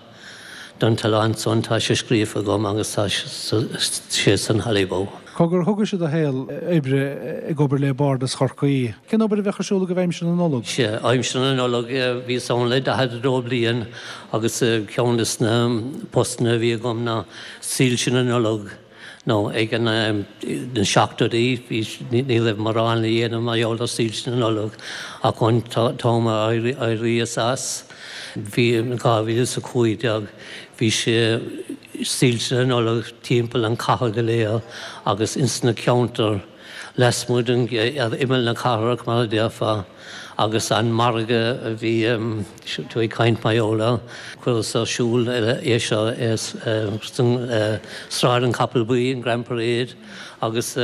don tollán san tá sé scríofa agam agus tá sé san Hollybough. Cogar thugais do shaol oibre ag obair le Bardas Chorcaí. Cén obair a bheadh ar siúl agaibh aimsir na Nollag? Sea, aimsir na Nollag bhíos ann le daichead a dó bliain agus ceann de na postanna a bhí agam ná soilse na Nollag nó ag an na seachtóidí bhí ní raibh mórán le dhéanamh mar gheall ar soilse na Nollag ach an t-am a éiríos as bhí dhá mhíle is a cúig déag bhí sé soilse na Nollag timpeall an chathair go léir agus ins na ceantair lasmuigh den ar imeall na cathrach mar a déarfá agus an margadh a bhí tú ag caint mar gheall air chuireas ar siúl é seo Sráid an Chapaill Bhuí an Grand Parade agus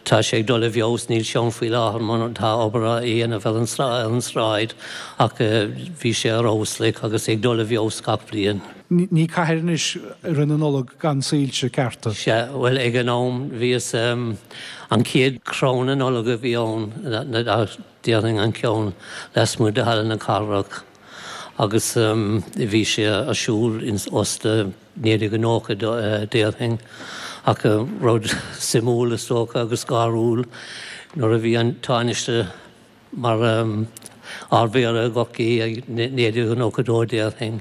tá sé ag dul i bhfeabhas níl sé ann faoi láthair mar tá obair á dhéanamh ar an sráid ach bhí sé ar fheabhas like agus ag dul i bhfeabhas gach bliain. Ní cathair anois i rith na Nollag gan soilse cearta. Sea, bhuel ag an am bhíos an chéad crann na Nollag a bhí ann déarfainn an ceann lasmuigh de Halla na Cathrach agus bhí sé ar siúl in osta naoi déag nócha déarfainn ach rud suimiúil is dócha agus gáiriúil nuair a bhí an Tánaiste mar Ardmhéara i gCorcaigh ag naoi déag nócha dó déarfainn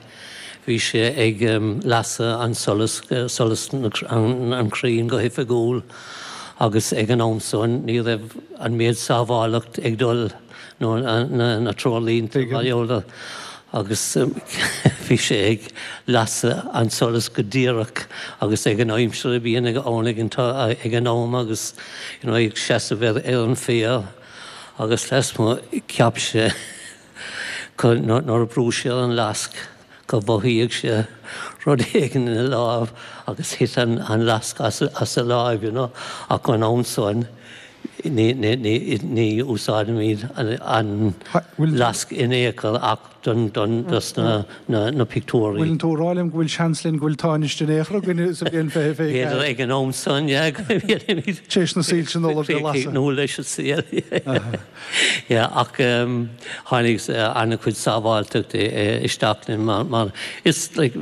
bhí sé ag lasadh an solas solas an chrainn go hoifigiúil agus ag an am san ní raibh an méid sábhálacht ag dul nó na treoirlínte mar gheall agus bhí sé ag lasadh an solas go díreach agus ag an aimsir a bhí ann ag an am agus you know, ag seasamh ar ar an féar agus lasmuigh cheap sé nuair a bhrúigh sé an lasc go mhothaigh sé rud éigin ina lámh agus thit an, an lasc as, as a láimh, you know, ach an am san ní, ní, ní, ní úsáidimid an, an lasc in aon chor ach don, don, dos na, na, na pictiúirí. Bhfuil tú ag rá liom go bhfuil seans linn go bhfuil Tánaiste in aon chor againn sa bhliain fiche fiche B'fhéidir ag an am san, yeah, go bhfuilimid Téis na soilse Nollag a lasadh. nó leis an saol. Yeah, ach um, tháinig an-chuid sábháilteacht isteach linn mar, mar is like,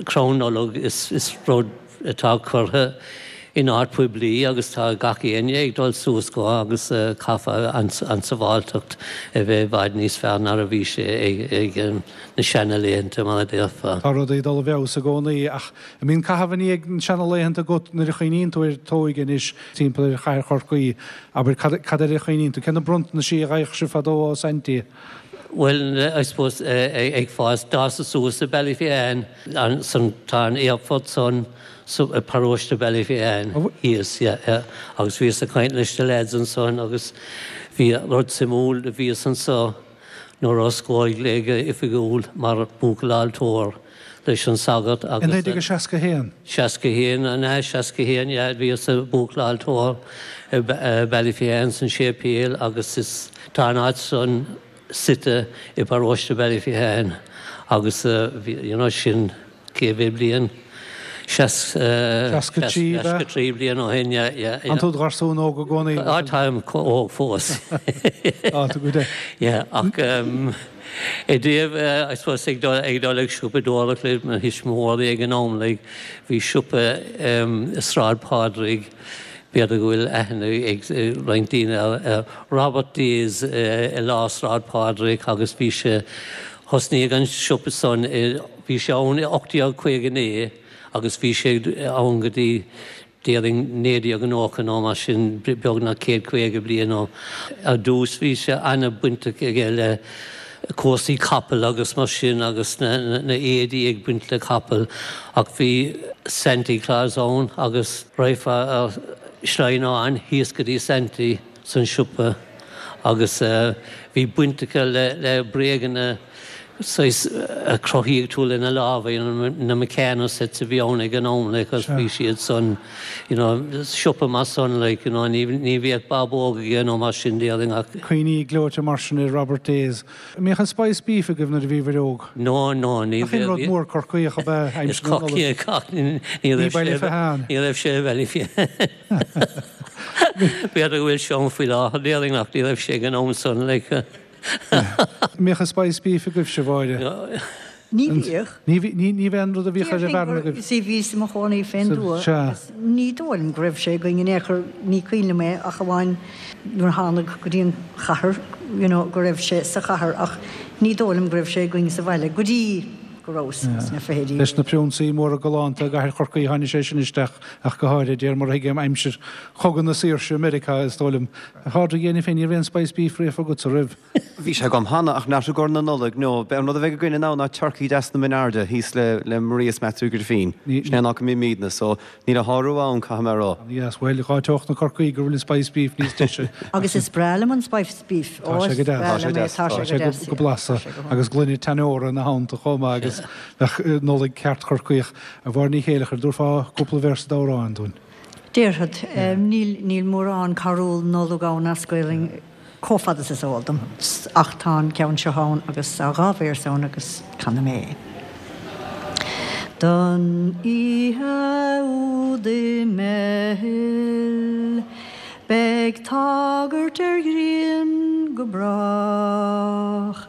crann Nollag is, is rud atá curtha in áit poiblí agus tá gach éinne ag dul suas go agus uh, caithfidh an, an sábháilteacht a bheith i bhfad níos fearr ná a bhí sé ag, ag um, na seanlaethanta mar a déarfá. Tá rudaí ag dul i bhfeabhas i gcónaí ach an mbíonn caitheamh i ndiaidh na seanlaethanta agat nuair a chuimhníonn tú ar t'óige anois timpeall ar chathair Chorcaí, abair cad, cad air a chuimhníonn tú, cé na bronntanais a fhaigheadh sibh fadó ó Saintí? Bhuel, I suppose ag fás d'fhásas suas i Ballyphehane san tá an aerfort san so paróiste Ballyphehane thíos, yeah, yeah. Agus bhíos ag caint leis na lads ansan agus bhí rud suimiúil a bhíos anso nuair a osclaíodh é go oifigiúil mar buachaill altóir leis an sagart agus. I naoi déag a seasca haon? Seasca haon, an ea, seasca haon, yeah, bhíos i buachaill altóir i Ballyphehane san séipéal agus is tá an áit san suite i bparóiste Ballyphehane agus you know sin cé mhéad bliain? Seasca trí, ab ea? Seasca trí bliain ó shin, yeah, yeah, yeah. An tú i do gharsún óg i gcónaí? Á, táim óg fós. Á, tá go deas. Yeah, ach i dtaobh, I suppose, ag dul, ag dul ag siopadóireacht le mo thuismitheoirí ag an am, like, bhí siopa i Sráid Phádraig, B'fhéidir go bhfuil aithne ag roinnt daoine ar Robert Day's i lár Sráid Phádraig agus bhí sé, thosnaigh an siopa san, bhí sé ann i ocht déag caoga naoi agus bhí sé ann go dtí déarfainn naoi déag nócha nó mar sin, beagnach céad caoga bliain ó. Ar dtús bhí sé an-bainteach aige le cúrsaí capall agus mar sin agus na éadaí ag baint le capaill ach bhí Santy Claus ann agus raghfá ar sleamhnán thíos go dtí Santy san siopa agus bhí baint aige le bréaganna saghas a chruthaíodh tú lena lámha, you know, na Meccano sets a bhí ann ag an am like agus bhí siad san, you know, siopa mar san like, you know, ní ní bhíodh bábóg aige nó mar sin déarfainn ach. Cuimhní gleoite mar sin ar Robert Day's. An mbíodh an spice beef agaibh nuair a bhíobhair óg? No, no, ní Ach aon rud mór Corcaíoch ab ea Is aimsir na Nollag? Corcaíoch ach ní ní Ní raibh sé Ballyphehane. ní raibh sé i Ballyphehane. B'fhéidir go bhfuil sé ann faoi láthair déarfainn ach ní raibh sé ag an am san like. An mbíodh an spice beef agaibhse, a Mháire? Ní bhíodh. Ní bhí, ní, ní bheith an rud a bhíodh ar an Déarfainn bhfearann gur, agaibh. see, bhíos i mo chónaí fén Sa, dtuath sea. agus ní dóigh liom go raibh sé againn in aon chor, ní cuimhin liom é ach amháin nuair a thánag go dtí an chathair, you know, go raibh sé sa chathair ach ní dóigh liom go raibh sé againn sa bhaile go dtí go rabhas sna fichidí. Leis na prionsaí móra galánta i gcathair Chorcaí tháinig sé sin isteach ach go háirithe, de réir mar a thuigim, aimsir Chogadh na Saoirse i Meiriceá, is dóigh liom. A Phádraig, dhéanfainn féin, ní raibh aon spice beef riamh agatsa, raibh? Bhí sé agam cheana, ach not i gcomhair na Nollag, no. B'é an rud a bheidh againn ann ná turcaí deas na Mine Airde thíos le le Maria is Matthew Griffin. Sin é an áit go mbímidne, so níl a shárú ann, caithfidh mé a rá. Yes, bhuel, dhá dteocht na Corcaí go bhfuil an spice beef níos deise. Agus is breá liom an spice beef. Tá sé go deas. Tá sé go deas. Tá sé go go blasta agus gloine teannóra ina theannta chomh maith agus bheadh Nollaig ceart Chorcaíoch. A Mháire Ní Chéileachair, an dtabharfá cúpla véarsa d'amhrán dúinn? Déarfad. Níl níl mórán carúl Nollag ann as Gaelainn chomh fada is is eol dom, ach tá an ceann seo ann agus tá dhá véarsa ann agus canfaidh mé é. Don oíche úd i mBeithil beidh tagairt ar ghrian go brách,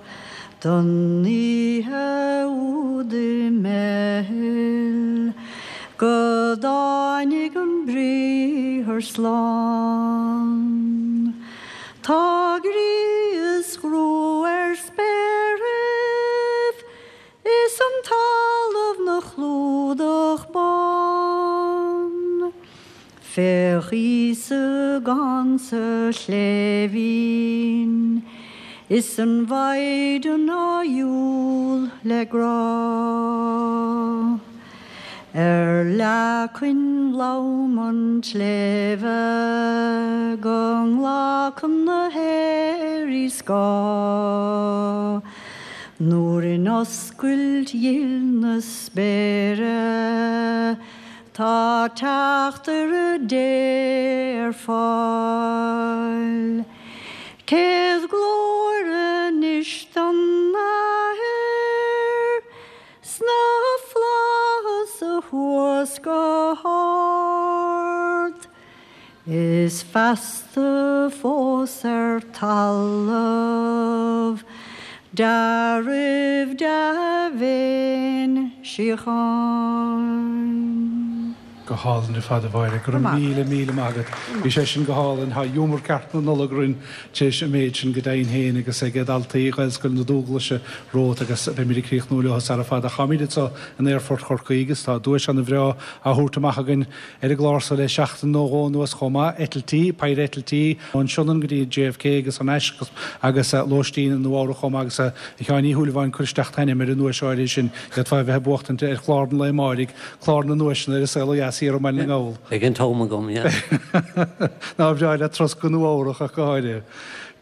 Don oíche úd i mBeithil go dtáinig an Briathar slán. Tá gríosghrúth ar spéiribh is an talamh 'na chlúdach bán. Féach Íosa gann sa chléibhín is an Mhaighdean á dhiúl le grá. Ar leacain lom an tsléibhe go nglacann na haeirí scáth, nuair in oscailt ghil na spéire tá teachtaire Dé ar fáil. Céad glóir anois don Athair sna flaithis thuas go hard, is feasta fós ar talamh dea-raibh dea-mhéin síocháin. Go hálainn ar fad a Mháire, go raibh míle míle maith agat. Bhí sé sin go hálainn, tá giúmar ceart na Nollag orainn tar éis an méid sin go deimhin féin agus ag daltaí Ghaelscoil na Dúglaise romhat agus beimid ag críochnú leo sara fada. Táimid anseo in Aerfort Chorcaí agus tá duais an-bhreá á thabhairt amach againn ar an gclár so le seachtain nó dhó anuas chomh maith, eitiltí, péire eitiltí ón Sionainn go dtí JFK agus thar n-ais agus lóistín i Nua Eabhrac chomh maith agus a Sheáin Uí Shúilleabháin cuir isteach t'ainm ar an nduais áirithe sin, d'fhéadfá a bheith ag buachtaint ar chlár an lae amáirigh, clár na nduaiseanna ar An Saol Ó Dheas thiar i mBaile na nGall. Beidh an t-am agam, yeah. Nár bhreá leat turas go Nua Eabhrac ach go háirithe.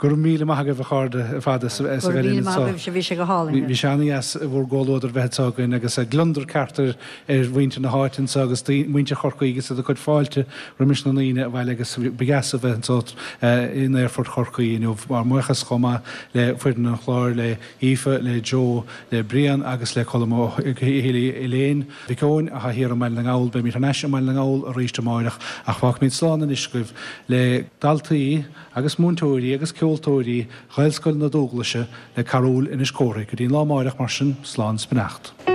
Go raibh míle maith agaibh a chairde ar fad as a Go bheith raibh linn míle maith anseo. agaibhse, bhí sé go hálainn. Bhí sé an-dheas bhur gcomhluadar bheith anseo againn agus gliondar ceart ar ar mhuintir na háite anseo agus muintir Chorcaí agus iad ag cur fáilte roimis na ndaoine abhaile agus ba dheas a bheith anseo in Aerfort Chorcaí inniu. Ár mbuíochas chomh maith le foireann an chláir, le hAoife, le Joe, le Brian agus le Colm Ó hEléin Mhic Eoin atá thiar i mBaile na nGall. Beimid thar n-ais i mBaile na nGall arís amáireach ach fágfaimid slán anois agaibh le daltaí agus múinteoirí agus ceoltóirí Ghaelscoil na Dúglaise le Carúil Inis Córthaidh. Go dtí an lá amáireach mar sin, slán 's beannacht.